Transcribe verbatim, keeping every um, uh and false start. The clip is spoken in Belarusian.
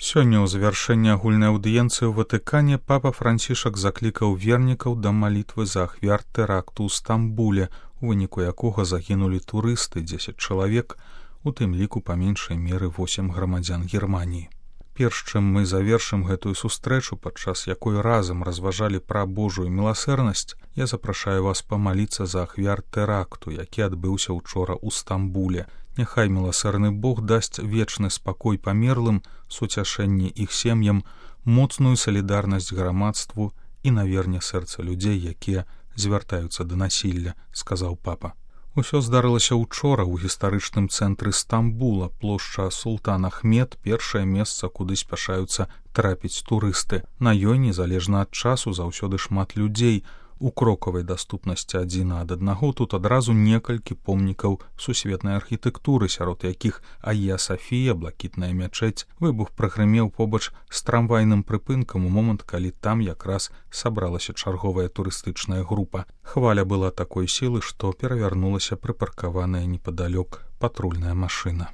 Сёння ў завяршэнні агульнай аўдыенцыі ў Ватыкане папа Францішак заклікаў вернікаў да малітвы за ахвяр тэракту ў Стамбуле, у выніку якога загінулі турысты дзесяць чалавек, у тым ліку па меншай меры восем грамадзян Германіі. Перш чым мы завершым гэтую сустрэчу, падчас якой разам разважалі пра Божую міласэрнасць, я запрашаю вас памаліцца за ахвяр тэракту, які адбыўся учора ў Стамбуле. Няхай міласэрны Бог дасць вечны спакой памерлым, суцяшэнне іх сем'ям, моцную салідарнасць грамадству і наверне сэрца людзей, якія звяртаюцца да насілля, сказаў папа. Усё здарылася учора ў гістарычным цэнтры Стамбула, плошча Султан Ахмед, першае месца, куды спяшаюцца трапіць турысты. На ёй, незалежна ад часу, заўсёды шмат людзей. У крокавай даступнасці адзін ад аднаго тут адразу некалькі помнікаў сусветнай архітэктуры, сярод якіх Айя Сафія, блакітная мячэць. Выбух прагрымеў побач з трамвайным прыпынкам у момант, калі там якраз сабралася чарговая турыстычная група. Хваля была такой сілы, што перавярнулася прыпаркаваная непадалёк патрульная машына.